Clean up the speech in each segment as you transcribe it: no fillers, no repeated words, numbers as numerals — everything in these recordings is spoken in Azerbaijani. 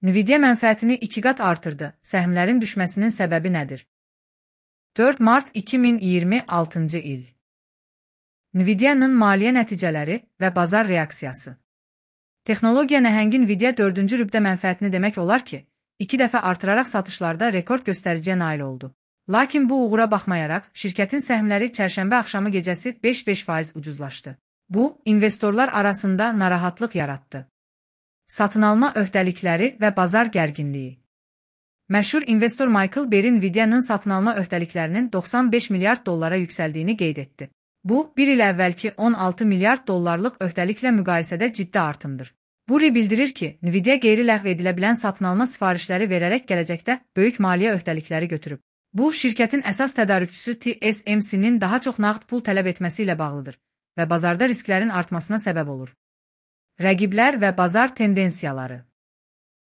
Nvidia mənfəətini 2 qat artırdı. Səhmlərin düşməsinin səbəbi nədir? 4 mart 2026-cı il. Nvidia'nın maliyyə nəticələri və bazar reaksiyası. Texnologiya nəhəngi Nvidia 4-cü rübdə mənfəətini demək olar ki, 2 dəfə artıraraq satışlarda rekord göstəriciyə nail oldu. Lakin bu uğura baxmayaraq, şirkətin səhmləri çərşənbə axşamı gecəsi 5,5% ucuzlaşdı. Bu, investorlar arasında narahatlıq yaratdı. Satın alma öhdəlikləri və bazar gərginliyi. Məşhur investor Michael Berry Nvidia'nın satın alma öhdəliklərinin 95 milyard dollara yüksəldiyini qeyd etdi. Bu, bir il əvvəlki 16 milyard dollarlıq öhdəliklə müqayisədə ciddi artımdır. Buri bildirir ki, Nvidia qeyri-ləğv edilə bilən satın alma sifarişləri verərək gələcəkdə böyük maliyyə öhdəlikləri götürüb. Bu, şirkətin əsas tədarükçüsü TSMC-nin daha çox nağd pul tələb etməsi ilə bağlıdır və bazarda risklərin artmasına səbəb olur. Rəqiblər və bazar tendensiyaları.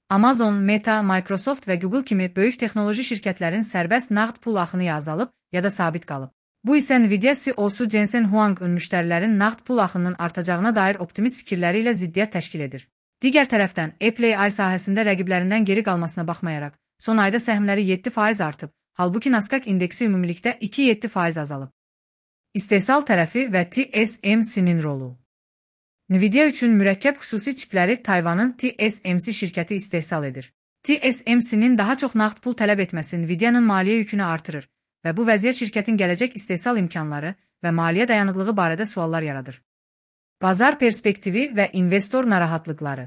Amazon, Meta, Microsoft və Google kimi böyük texnoloji şirkətlərin sərbəst nağd pul axını ya azalıb, ya da sabit qalıb. Bu isə Nvidia CEO-su Jensen Huang'ın müştərilərin nağd pul axınının artacağına dair optimist fikirləri ilə ziddiyyət təşkil edir. Digər tərəfdən, Apple AI sahəsində rəqiblərindən geri qalmasına baxmayaraq, son ayda səhmləri 7% artıb, halbuki Nasdaq indeksi ümumilikdə 2,7% azalıb. İstehsal tərəfi və TSMC-nin rolu. Nvidia üçün mürəkkəb xüsusi çipləri Tayvanın TSMC şirkəti istehsal edir. TSMC-nin daha çox nağd pul tələb etməsi Nvidia'nın maliyyə yükünü artırır və bu vəziyyət şirkətin gələcək istehsal imkanları və maliyyə dayanıqlığı barədə suallar yaradır. Bazar perspektivi və investor narahatlıqları.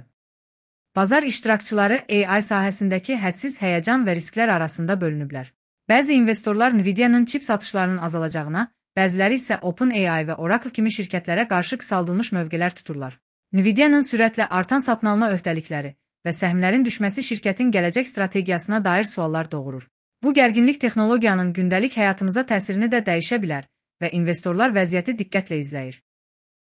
Bazar iştirakçıları AI sahəsindəki hədsiz həyəcan və risklər arasında bölünüblər. Bəzi investorlar Nvidia'nın çip satışlarının azalacağına, bəziləri isə OpenAI və Oracle kimi şirkətlərə qarşı qısaldılmış mövqelər tuturlar. Nvidia'nın sürətlə artan satın alma öhdəlikləri və səhmlərin düşməsi şirkətin gələcək strategiyasına dair suallar doğurur. Bu gərginlik texnologiyanın gündəlik həyatımıza təsirini də dəyişə bilər və investorlar vəziyyəti diqqətlə izləyir.